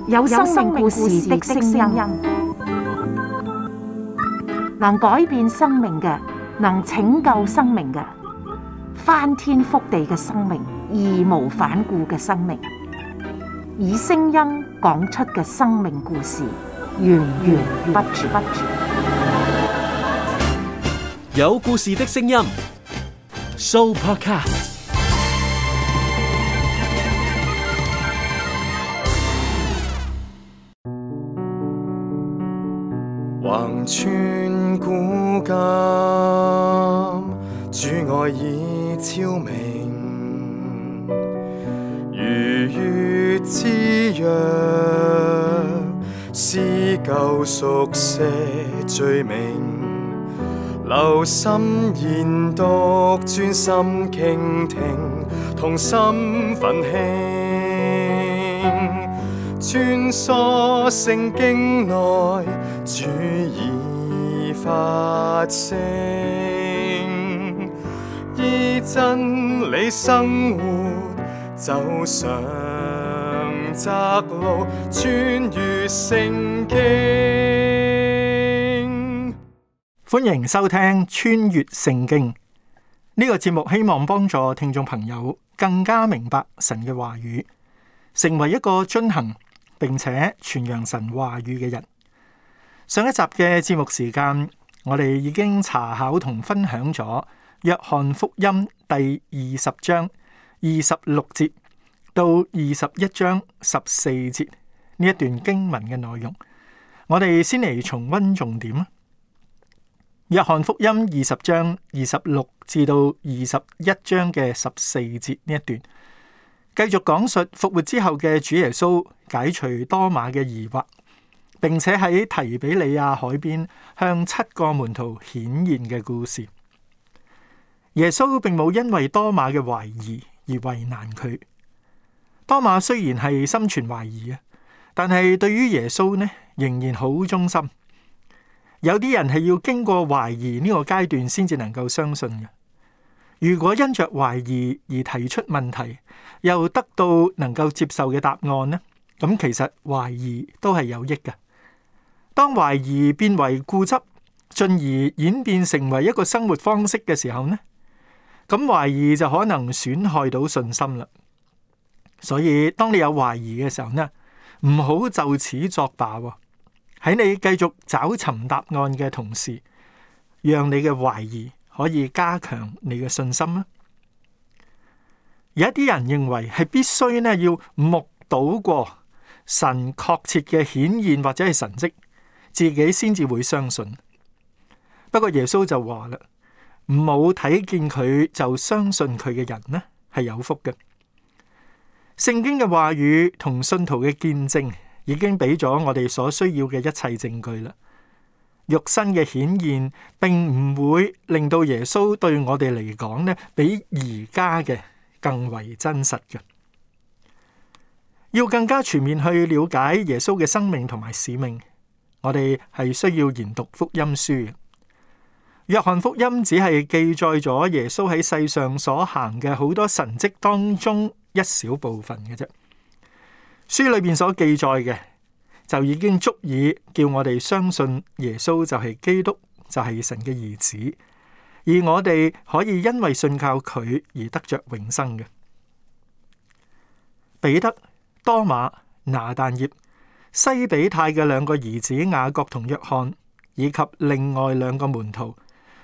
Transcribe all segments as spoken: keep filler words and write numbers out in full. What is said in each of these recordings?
有生命故事的聲音，能改變生命嘅，能拯救生命嘅，翻天覆地嘅生命，義無反顧嘅生命，以聲音講出嘅生命故事，源源不絕。有故事的聲音 ，Sooopodcast。橫穿古今，主愛已超明，如月之約，撕舊熟寫罪名，留心研讀，專心傾聽，同心奮興，穿梭聖經內，主已發聲，依真理生活，走上窄路，穿越聖經。歡迎收聽《穿越聖經》呢個節目，希望幫助聽眾朋友更加明白神嘅話語，成為一個遵行並且傳揚神話語嘅人。上一集嘅節目時間，我哋已經查考同分享咗約翰福音第二十章二十六節到二十一章十四節呢一段經文嘅內容。我哋先嚟重溫重點。約翰福音二十章二十六至到二十一章嘅十四節呢一段，繼續講述復活之後嘅主耶穌解除多馬嘅疑惑，並且喺提比里亞海邊向七個門徒顯現嘅故事。耶穌並冇因為多馬嘅懷疑而為難佢。多馬雖然係心存懷疑啊，但係對於耶穌呢，仍然好忠心。有啲人係要經過懷疑呢個階段先至能夠相信嘅。如果因着懷疑而提出問題，又得到能夠接受嘅答案呢，咁其實懷疑都係有益嘅。當懷疑變為固執，進而演變成為一個生活方式嘅時候呢，咁懷疑就可能損害到信心啦。所以當你有懷疑嘅時候呢，唔好就此作罷喎。喺你繼續找尋答案嘅同時，讓你嘅懷疑可以加強你嘅信心啦。有一啲人認為係必須呢要目睹過神確切嘅顯現或者係神蹟，自己先至會相信。不過耶穌就話啦，唔好睇見佢就相信佢嘅人呢係有福嘅。聖經嘅話語同信徒嘅見證已經俾咗我哋所需要嘅一切證據啦。肉身嘅顯現並唔會令到耶穌對我哋嚟講呢，比而家嘅更為真實嘅。要更加全面去了解耶穌嘅生命同埋使命，我哋係需要研讀福音書嘅。約翰福音只係記載咗耶穌喺世上所行嘅好多神蹟當中一小部分嘅啫。書裏邊所記載嘅就已經足以叫我哋相信耶穌就係基督，就係神嘅兒子，而我哋可以因為信靠佢而得着永生嘅。彼得、多馬、拿但業、西比泰嘅兩個兒子雅各同約翰，以及另外兩個門徒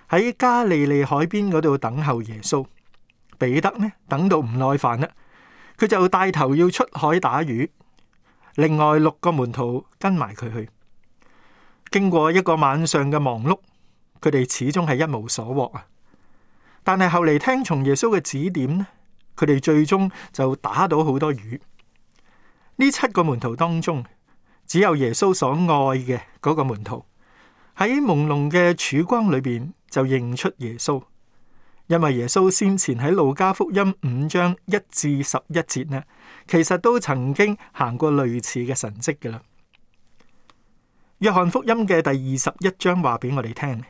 喺加利利海邊嗰度等候耶穌。彼得呢，等到唔耐煩啦，佢就帶頭要出海打魚。另外六個門徒跟埋佢去。經過一個晚上嘅忙碌，佢哋始終係一無所獲啊！但係後嚟聽從耶穌嘅指點呢，佢哋最終就打到好多魚。呢七個門徒當中，只有耶穌所愛嘅嗰個門徒喺朦朧嘅曙光裏邊就認出耶穌。因為耶穌先前喺路加福音五章一至十一節呢，其實都曾經行過類似嘅神蹟㗎喇。約翰福音嘅第二十一章話俾我哋聽，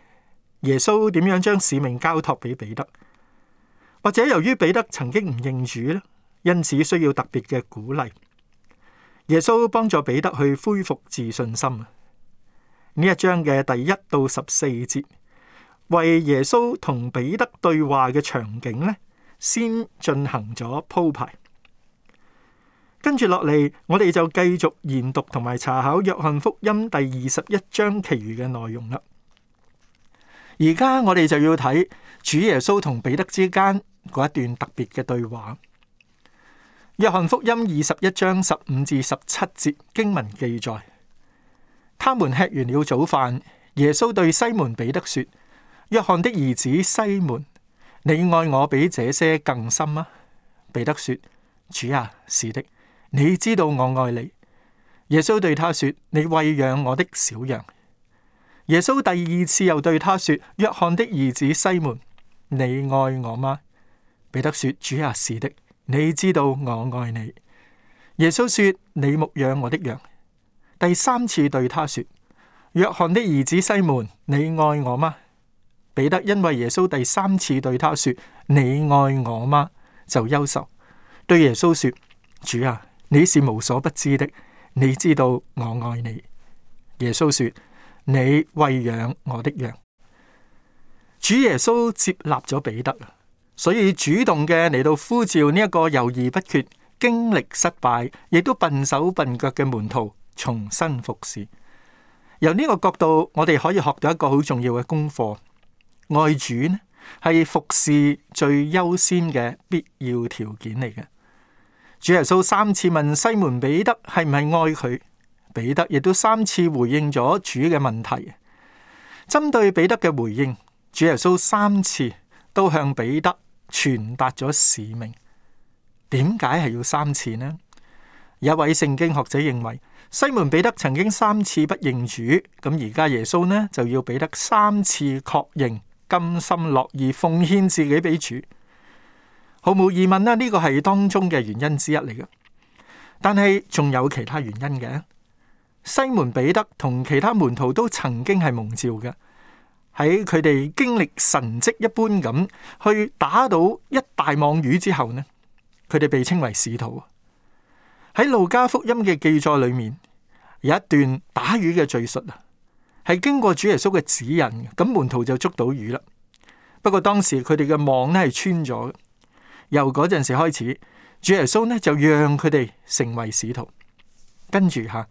耶穌點樣將使命交託俾彼得，或者由於彼得曾經唔認主咧，因此需要特別嘅鼓勵。耶穌幫助彼得去恢復自信心。呢一章嘅第一到十四節，為耶穌同彼得對話嘅場景呢，先進行咗鋪排。跟住落嚟，我哋就繼續研讀同埋查考約翰福音第二十一章其餘嘅內容啦。而家我哋就要睇主耶穌同彼得之間嗰一段特別嘅對話。約翰福音二十一章十五至十七節經文記載，他們吃完了早飯，耶穌對西門彼得說：約翰的兒子西門，你愛我比這些更深嗎？彼得說：主啊，是的，你知道我愛你。耶穌對他說：你餵養我的小羊。耶穌第二次又對他說：約翰的兒子西門，你愛我嗎？彼得說：主啊，是的，你知道我愛你。耶穌說：你牧養我的羊。第三次對他說：約翰的兒子西門，你愛我嗎？彼得因為耶穌第三次對他說：你愛我嗎？就憂愁，對耶穌說：主啊，你是無所不知的，你知道我愛你。耶穌說：你餵養我的羊。主耶穌接納咗彼得，所以主動嘅嚟到呼召呢一個猶豫不決、經歷失敗，亦都笨手笨腳嘅門徒重新服侍。由呢個角度，我哋可以學到一個好重要嘅功課：愛主呢係服侍最優先嘅必要條件嚟嘅。主耶穌三次問西門彼得係唔係愛佢，彼得亦都三次回應咗主嘅問題。針對彼得嘅回應，主耶穌三次都向彼得傳達咗使命。點解係要三次呢？有一位聖經學者認為，西門彼得曾經三次不認主，咁而家耶穌呢就要彼得三次確認，甘心樂意奉獻自己俾主。毫無疑問啦，呢個係當中嘅原因之一嚟嘅。但係仲有其他原因嘅。西門彼得同其他門徒都曾經係蒙召嘅，喺佢哋經歷神蹟一般咁去打到一大網魚之後呢，佢哋被稱為使徒。喺路加福音嘅記載裏面，有一段打魚嘅敘述啊，係經過主耶穌嘅指引，咁門徒就捉到魚啦。不過當時佢哋嘅網呢係穿咗嘅。由嗰陣時開始，主耶穌呢就讓佢哋成為使徒。跟住吓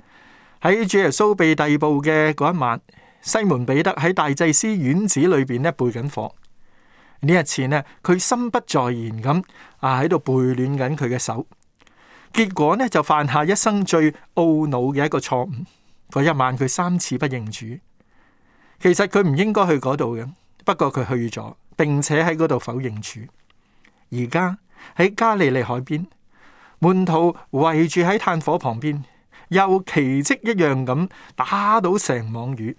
喺主耶穌被逮捕嘅嗰一晚，西門彼得喺大祭司院子裏邊呢背緊課。呢一次呢，佢心不在焉咁啊喺度背亂緊佢嘅手，結果呢就犯下一生最懊惱嘅一個錯誤。嗰一晚佢三次不認主，其實佢唔應該去嗰度嘅，不過佢去咗，並且喺嗰度否認主。而家喺加利利海邊，門徒圍住喺炭火旁邊，又奇蹟一樣咁打到成網魚。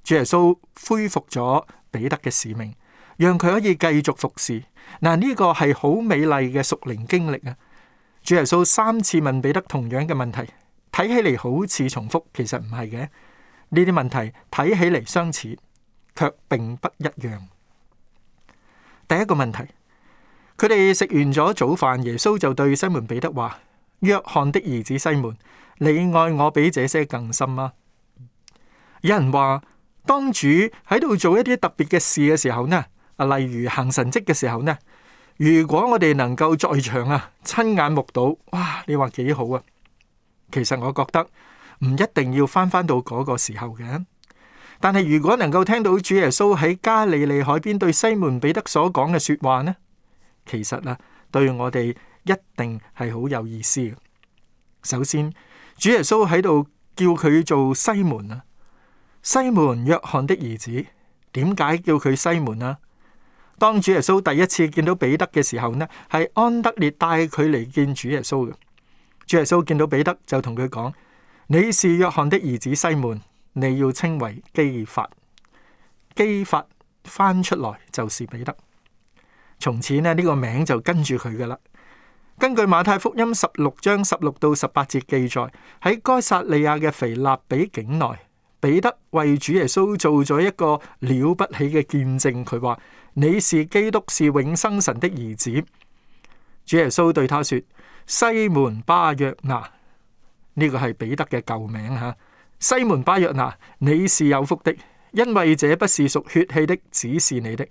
主耶穌恢復咗彼得嘅使命，讓佢可以繼續服侍。嗱，呢個係好美麗嘅屬靈經歷啊！主耶穌三次問彼得同樣嘅問題，睇起嚟好似重複，其實唔係嘅。呢啲問題睇起嚟相似，卻並不一樣。第一個問題。佢哋食完咗早飯，耶穌就對西門彼得話：約翰的兒子西門，你愛我比這些更深嗎？有人話，當主喺度做一啲特別嘅事嘅時候呢，啊，例如行神蹟嘅時候呢，如果我哋能夠在場啊，親眼目睹，哇，你話幾好啊？其實我覺得唔一定要翻翻到嗰個時候嘅，但係如果能夠聽到主耶穌喺加利利海邊對西門彼得所講嘅說話呢，其實啊，對我哋一定係好有意思嘅。首先，主耶穌喺度叫佢做西門啊，西門約翰的兒子。點解叫佢西門啊？當主耶穌第一次見到彼得嘅時候呢，係安德烈帶佢嚟見主耶穌嘅。主耶穌見到彼得就同佢講：你是約翰的兒子西門，你要稱為基法。基法翻出來就是彼得。從此呢，呢個名就跟住佢噶啦。根據馬太福音十六章十六到十八節記載，喺該撒利亞嘅腓立比境內，彼得為主耶穌做咗一個了不起嘅見證。佢話：你是基督，是永生神的兒子。主耶穌對他說：西門巴約拿，呢個係彼得嘅舊名吓。西門巴約拿，你是有福的，因為這不是屬血氣的指示你的，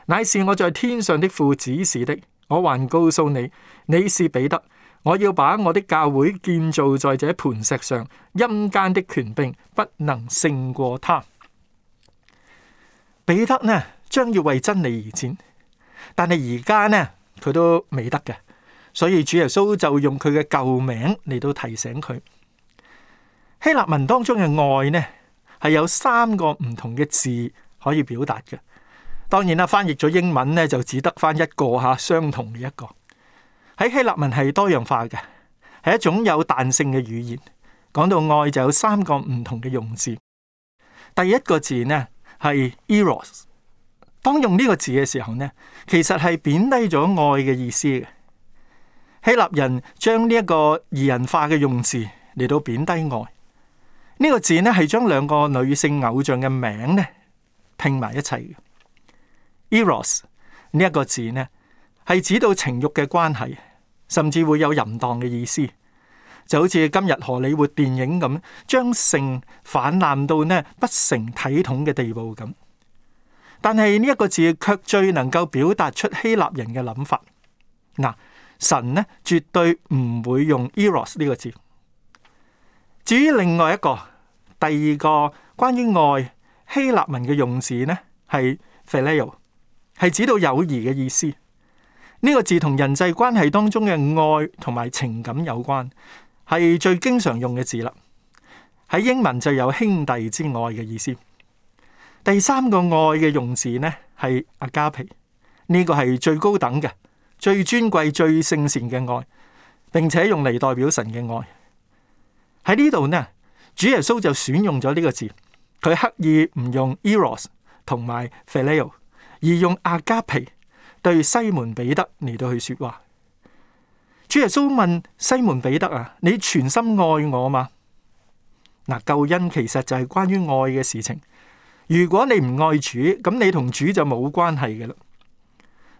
乃是我在天上的父指示的。我還告訴你，你是彼得，我要把我的教會建造在這磐石上，陰間的權柄不能勝過他。彼得呢，將要為真理而戰，但係而家呢，佢都未得嘅，所以主耶穌就用佢嘅舊名嚟到提醒佢。希臘文當中嘅愛呢，係有三個唔同嘅字可以表達嘅。當然啦，翻譯咗英文呢，就只得翻一個吓，相同嘅一個。喺希臘文係多樣化嘅，係一種有彈性嘅語言。講到愛就有三個唔同嘅用字。第一個字呢係 eros， 當用呢個字嘅時候呢，其實係貶低咗愛嘅意思嘅。希臘人將呢一個擬人化嘅用字嚟到貶低愛。呢個字呢係將兩個女性偶像嘅名呢拼埋一齊嘅。eros 呢一個字呢係指到情欲嘅關係，甚至會有淫蕩嘅意思，就好似今日荷里活電影咁，將性氾濫到呢不成體統嘅地步咁。但係呢一個字卻最能夠表達出希臘人嘅諗法。嗱，神呢絕對唔會用 eros 呢個字。至於另外一個，第二個關於愛希臘文嘅用字呢係 phileo， 係指到友誼嘅意思。呢個字同人際關係當中嘅愛同埋情感有關，係最經常用嘅字啦。喺英文就有兄弟之愛嘅意思。第三個愛嘅用字呢係阿加皮，呢個係最高等嘅、最尊貴、最聖善嘅愛，並且用嚟代表神嘅愛。喺呢度呢，主耶穌就選用咗呢個字，佢刻意唔用 eros 同埋 phileo， 而用阿加皮對西門彼得嚟到去說話。主耶穌問西門彼得啊，你全心愛我嗎？嗱，救恩其實就係關於愛嘅事情。如果你唔愛主，咁你同主就冇關係嘅啦。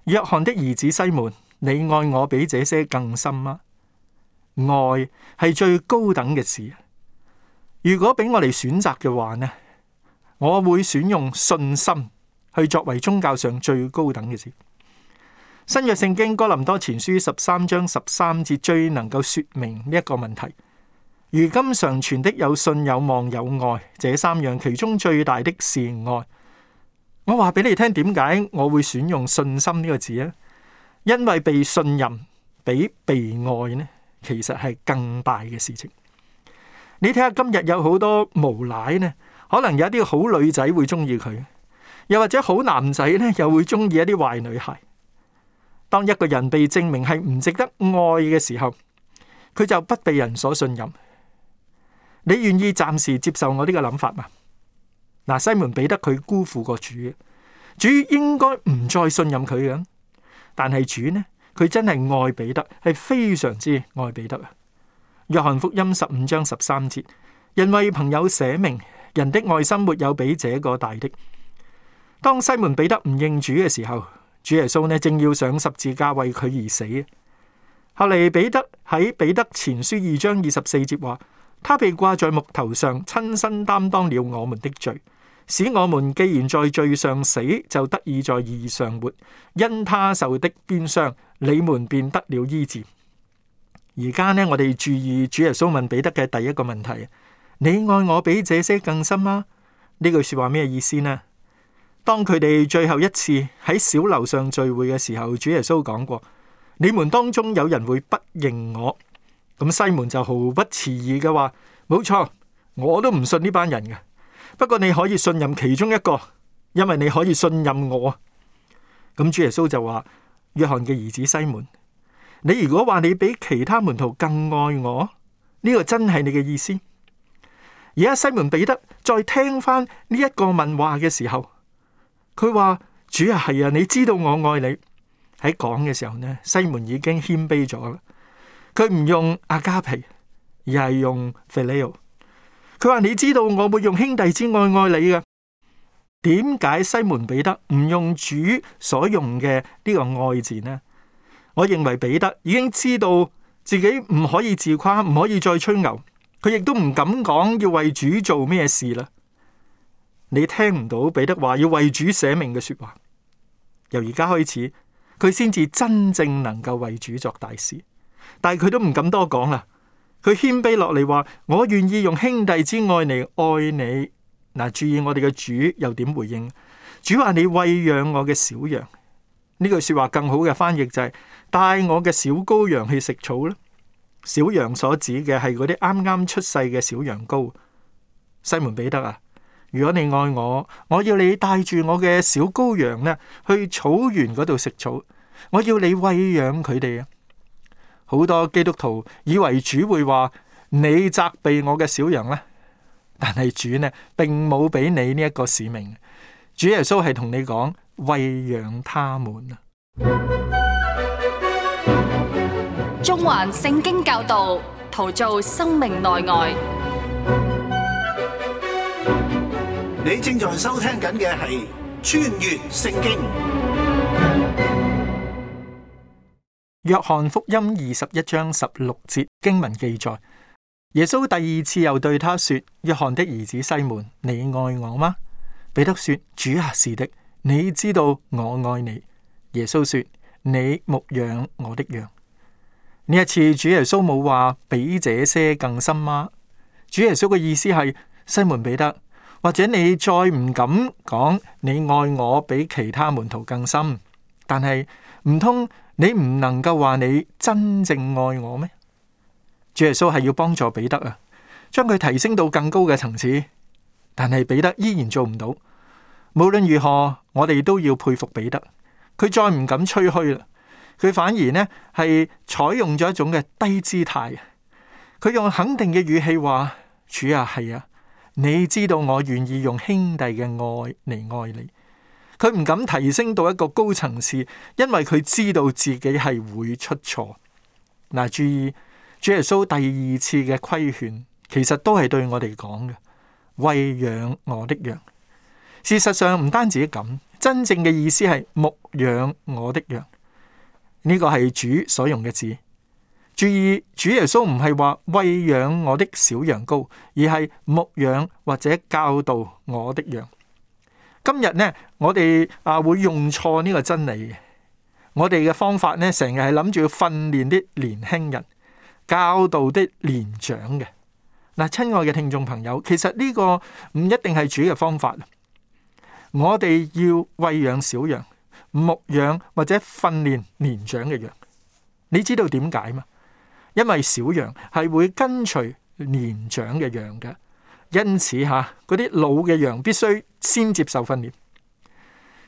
約翰的兒子西門，你愛我比這些更深嗎？愛係最高等嘅事。如果俾我哋選擇嘅話呢，我會選用信心去作為宗教上最高等嘅事。新約聖經哥林多前書十三章十三節最能夠說明呢一個問題。如今常存的有信有望有愛，這三樣其中最大的是愛。我話俾你聽，點解我會選用信心呢個字啊？因為被信任比被愛呢，其實係更大嘅事情。你睇下今日有好多無賴呢，可能有一啲好女仔會中意佢，又或者好男仔呢又會中意一啲壞女孩。當一個人被證明係唔值得愛嘅時候，佢就不被人所信任。你願意暫時接受我呢個諗法嗎？嗱，西門彼得佢辜負過主，主應該唔再信任佢嘅。但係主呢，佢真係愛彼得，係非常之愛彼得啊！約翰福音十五章十三節，人為朋友捨命，人的愛心沒有比這個大的。當西門彼得唔認主嘅時候，主耶穌呢正要上十字架為佢而死。後嚟彼得喺彼得前書二章二十四節話，他被掛在木頭上，親身擔當了我們的罪，使我們既然在罪上死，就得以在義上活。因他受的鞭傷，你們便得了醫治。而家呢，我哋注意主耶穌問彼得嘅第一個問題：你愛我比這些更深嗎？呢句說話咩意思呢？當佢哋最後一次喺小樓上聚會嘅時候，主耶穌講過：你們當中有人會不認我。咁西門就毫不遲疑嘅話：冇錯，我都唔信呢班人嘅。不過你可以信任其中一個，因為你可以信任我。咁主耶穌就話：約翰嘅兒子西門，你如果話你比其他門徒更愛我，呢個真係你嘅意思？而家西門彼得再聽翻呢一個問話嘅時候，佢話：主啊，係啊，你知道我愛你。喺講嘅時候呢，西門已經謙卑咗啦。佢唔用阿加皮，而係用 phileo。佢話：你知道我會用兄弟之愛愛你嘅。點解西門彼得唔用主所用嘅呢個愛字呢？我認為彼得已經知道自己唔可以自誇，唔可以再吹牛，佢亦都唔敢講要為主做咩事啦。你聽唔到彼得話要為主捨命嘅說話。由而家開始，佢先至真正能夠為主作大事。但係佢都唔敢多講啦。佢謙卑落嚟話：我願意用兄弟之愛嚟愛你。嗱，注意我哋嘅主又點回應？主話：你餵養我嘅小羊。呢句說話更好嘅翻譯就係、是、帶我嘅小羔羊去食草啦。小羊所指嘅係嗰啲啱啱出世嘅小羊羔。西門彼得啊，如果你愛我，我要你帶住我嘅小羔羊呢去草原嗰度食草。我要你餵養佢哋啊！好多基督徒以為主會話：你責備我嘅小羊啦。但係主呢，並冇俾你呢一個使命。主耶穌係同你講：餵養他們啊！中環聖經教導，陶造生命內外。你正在收聽緊嘅係穿越聖經。約翰福音二十一章十六節經文記載，耶穌第二次又對他說：約翰的兒子西門，你愛我嗎？彼得說：主啊，是的，你知道我愛你。耶穌說：你牧養我的羊。呢一次主耶穌冇話比這些更深嗎？主耶穌嘅意思係：西門彼得，或者你再唔敢講你愛我比其他門徒更深，但係唔通你唔能夠話你真正愛我咩？主耶穌係要幫助彼得啊，將佢提升到更高嘅層次，但係彼得依然做唔到。無論如何，我哋都要佩服彼得，佢再唔敢吹噓啦，佢反而呢係採用咗一種嘅低姿態，佢用肯定嘅語氣話：主啊，係啊，你知道我願意用兄弟嘅愛嚟愛你。佢唔敢提升到一個高層次，因為佢知道自己係會出錯。嗱，注意主耶穌第二次嘅規勸，其實都係對我哋講嘅：餵養我的羊。事實上唔單止咁，真正嘅意思係牧養我的羊。呢個係主所用嘅字。注意，主耶穌唔係話餵養我的小羊羔，而係牧養或者教導我的羊。今日呢，我哋啊會用錯呢個真理嘅。我哋嘅方法呢，成日係諗住要訓練啲年輕人，教導啲年長嘅。嗱，親愛嘅聽眾朋友，其實呢個唔一定係主嘅方法。我哋要餵養小羊，牧養或者訓練年長嘅羊。你知道點解嗎？因為小羊係會跟隨年長嘅羊嘅。因此吓，嗰啲老嘅羊必須先接受訓練。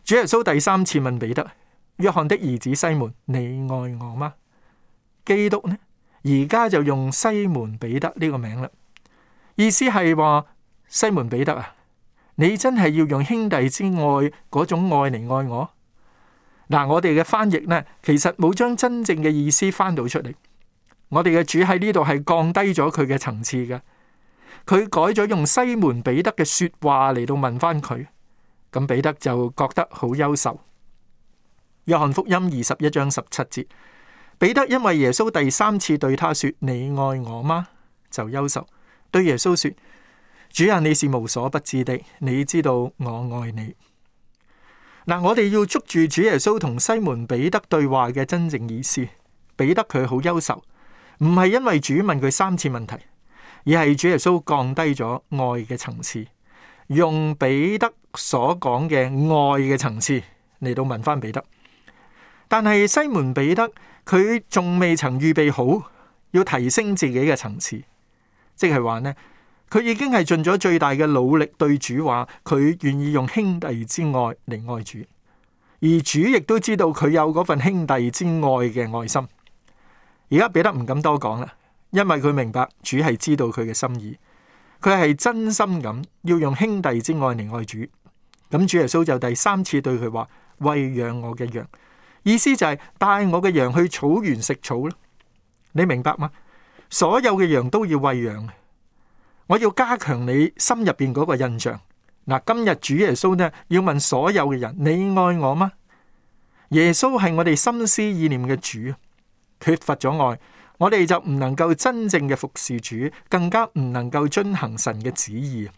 主耶穌第三次問彼得：約翰的兒子西門，你愛我嗎？基督呢，而家就用西門彼得呢個名啦，意思係話西門彼得啊，你真係要用兄弟之愛嗰種愛嚟愛我？嗱，我哋嘅翻譯呢，其實冇將真正嘅意思翻到出嚟。我哋嘅主喺呢度係降低咗佢嘅層次嘅。佢改咗用西門彼得嘅說話嚟到問翻佢，咁彼得就覺得好憂愁。約翰福音二十一章十七節，彼得因為耶穌第三次對他說：你愛我嗎？就憂愁，對耶穌說：主啊，你是無所不知的，你知道我愛你。嗱，我哋要捉住主耶穌同西門彼得對話嘅真正意思。彼得佢好憂愁，唔係因為主問佢三次問題，而係主耶穌降低咗愛嘅層次，用彼得所講嘅愛嘅層次嚟到問翻彼得。但係西門彼得佢仲未曾預備好要提升自己嘅層次，即係話呢，佢已經係盡咗最大嘅努力對主話佢願意用兄弟之愛嚟愛主，而主亦都知道佢有嗰份兄弟之愛嘅愛心。而家彼得唔敢多講啦，因為佢明白主係知道佢嘅心意，佢係真心咁要用兄弟之愛嚟愛主。咁主耶穌就第三次對佢話：餵養我嘅羊，意思就係帶我嘅羊去草原食草咯。你明白嗎？所有嘅羊都要餵養。我要加強你心入邊嗰個印象。嗱，今日主耶穌呢要問所有嘅人：你愛我嗎？耶穌係我哋心思意念嘅主，缺乏咗愛，我哋就唔能夠真正嘅服侍主，更加唔能夠遵行神嘅旨意。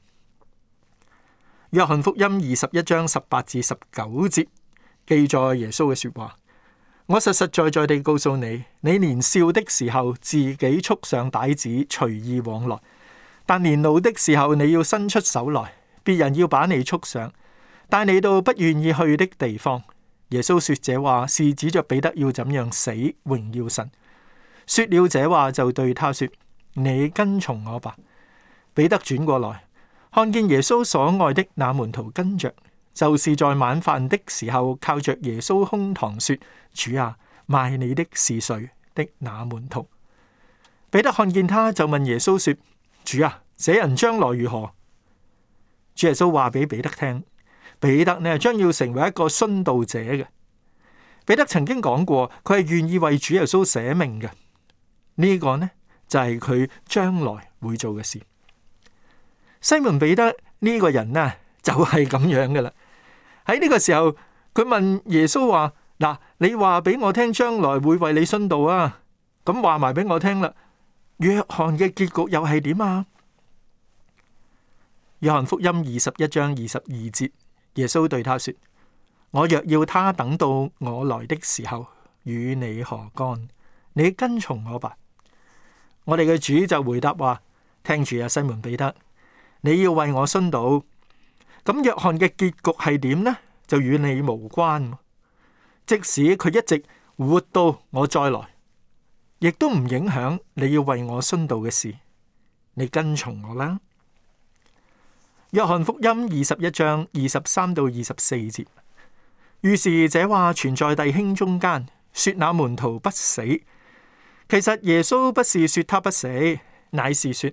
約翰福音二十一章十八至十九節記載耶穌嘅說話：我實實在在地告訴你，你年少的時候自己束上帶子，隨意往來；但年老的時候，你要伸出手來，別人要把你束上，帶你到不願意去的地方。耶穌說這話是指着彼得要怎樣死，榮耀神。說了這話，就對他說：你跟從我吧。彼得轉過來，看見耶穌所愛的那門徒跟着，就是在晚飯的時候靠着耶穌胸膛說：主啊，賣你的是誰的那門徒。彼得看見他，就問耶穌說：主啊，這人將來如何？主耶穌話俾彼得聽，彼得呢將要成為一個殉道者嘅。彼得曾經講過，佢係願意為主耶穌捨命嘅。呢個呢就係佢將來會做嘅事。西門彼得呢個人呢就係咁樣嘅啦。喺呢個時候，佢問耶穌話：嗱，你話俾我聽，將來會為你殉道啊？咁話埋俾我聽啦。約翰嘅結局又係點啊？約翰福音二十一章二十二節，耶穌對他說：我若要他等到我來的時候，與你何干？你跟從我吧。我哋嘅主就回答話：聽住啊，西門彼得，你要為我殉道。咁約翰嘅結局係點呢？就與你無關。即使佢一直活到我再來，亦都唔影響你要為我殉道嘅事。你跟從我啦。約翰福音二十一章二十三到二十四節，於是這話傳在弟兄中間，說那門徒不死。其實耶穌不是說他不死，乃是說：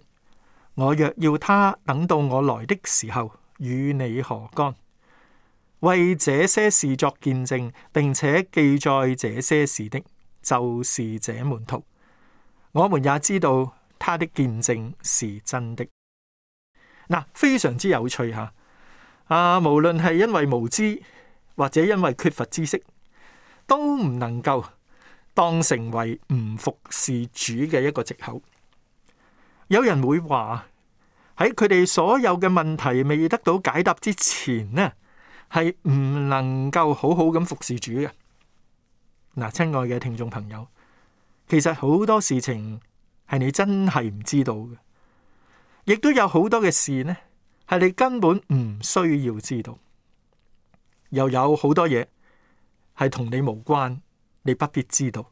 我若要他等到我來的時候，與你何干？為這些事作見證，並且記載這些事的，就是這門徒。我們也知道他的見證是真的。嗱，非常之有趣吓。啊，無論係因為無知或者因為缺乏知識，都唔能夠當成為唔服侍主嘅一個藉口。有人會話喺佢哋所有嘅問題未得到解答之前呢，係唔能夠好好咁服侍主嘅。嗱，親愛嘅聽眾朋友，其實好多事情係你真係唔知道嘅，亦都有好多嘅事呢係你根本唔需要知道，又有好多嘢係同你無關，你不必知道。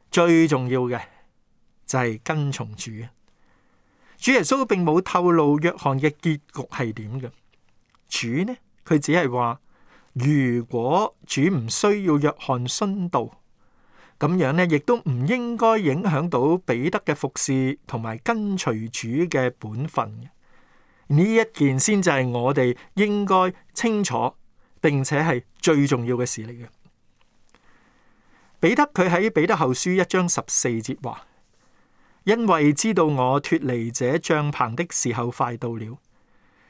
最重要嘅就係跟從主。主耶穌並冇透露約翰嘅結局係點嘅。主呢，佢只係話，如果主唔需要約翰殉道，咁樣呢亦都唔應該影響到彼得嘅服侍同埋跟隨主嘅本分。呢一件先就係我哋應該清楚並且係最重要嘅事嚟嘅。彼得佢喺彼得後書一章十四節話：因為知道我脫離這帳棚的時候快到了，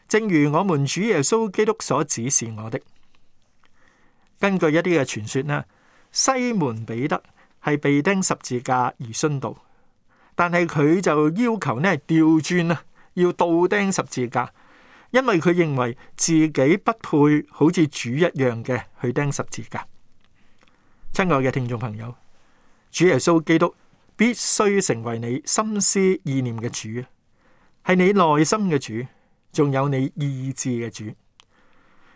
正如我們主耶穌基督所指示我的。根據一啲嘅傳說呢，西門彼得係被釘十字架而殉道，但係佢就要求呢調轉啊，要倒釘十字架，因為佢認為自己不配好似主一樣嘅去釘十字架。親愛嘅聽眾朋友，主耶穌基督必須成為你心思意念嘅主，係你內心嘅主，仲有你意志嘅主。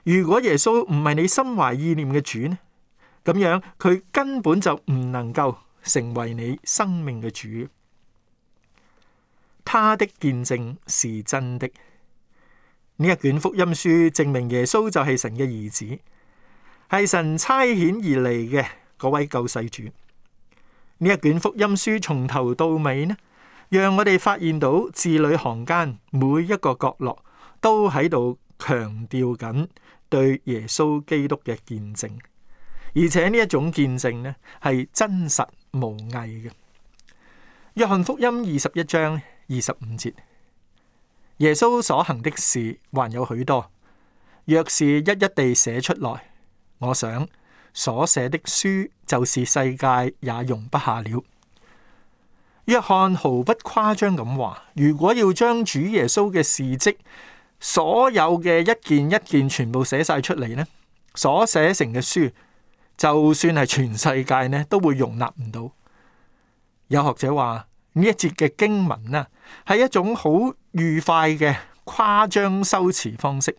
如果耶穌唔係你心懷意念嘅主呢，咁樣佢根本就唔能夠成為你生命嘅主。他的見證是真的。呢一卷福音書證明耶穌就係神嘅兒子，係神差遣而嚟嘅嗰位救世主。呢一卷福音書從頭到尾呢，讓我哋發現到字裏行間每一個角落都喺度強調緊對耶穌基督嘅見證，而且呢一種見證呢係真實無偽嘅。約翰福音二十一章二十五節，耶穌所行的事還有許多，若是一一地寫出來，我想所寫的書就是世界也容不下了。約翰毫不誇張咁話，如果要將主耶穌嘅事蹟所有嘅一件一件全部寫晒出嚟呢，所寫成嘅書，就算係全世界呢，都會容納唔到。有學者話呢一節嘅經文啊，係一種好愉快嘅誇張修辭方式。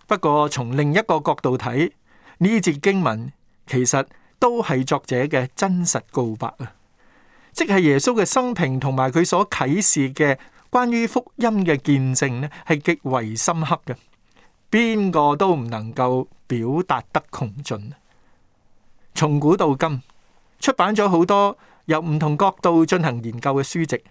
不過從另一個角度睇，呢節經文其實都係作者嘅真實告白啊，即係耶穌嘅生平同埋佢所啟示嘅關於福音嘅見證呢，係極為深刻嘅，邊個都唔能夠表達得窮盡。從古到今，出版咗好多由唔同角度進行研究嘅書籍，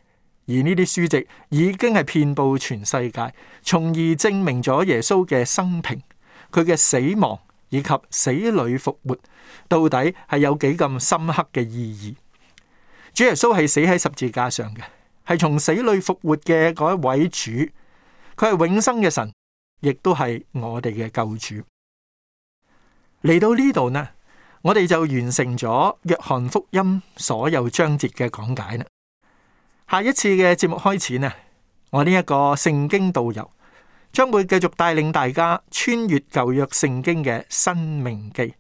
而呢啲書籍已經係遍佈全世界，從而證明咗耶穌嘅生平、佢嘅死亡以及死裏復活到底係有幾咁深刻嘅意義。主耶穌係死喺十字架上嘅，係從死裏復活嘅嗰一位主，佢係永生嘅神，亦都係我哋嘅救主。嚟到呢度呢，我哋就完成咗約翰福音所有章節嘅講解啦。下一次嘅節目開始呢，我呢一個聖經導遊將會繼續帶領大家穿越舊約聖經嘅申命記，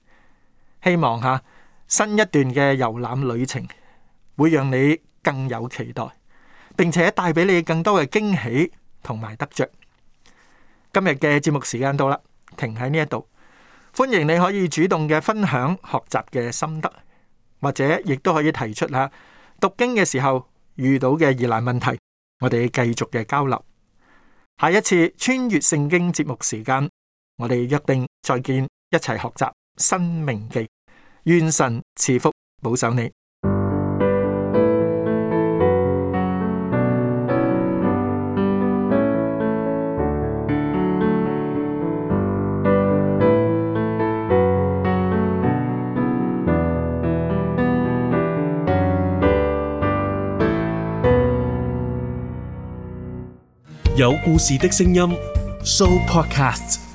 希望下新一段嘅遊覽旅程會讓你更有期待，並且帶俾你更多嘅驚喜同埋得着。今日嘅節目時間到啦，停喺呢一度。歡迎你可以主動嘅分享學習嘅心得，或者亦都可以提出下讀經嘅時候遇到嘅疑難問題，我哋繼續嘅交流。下一次穿越聖經節目時間，我哋約定再見，一齊學習申命記。願神賜福保守你。有故事的聲音 Show Podcast。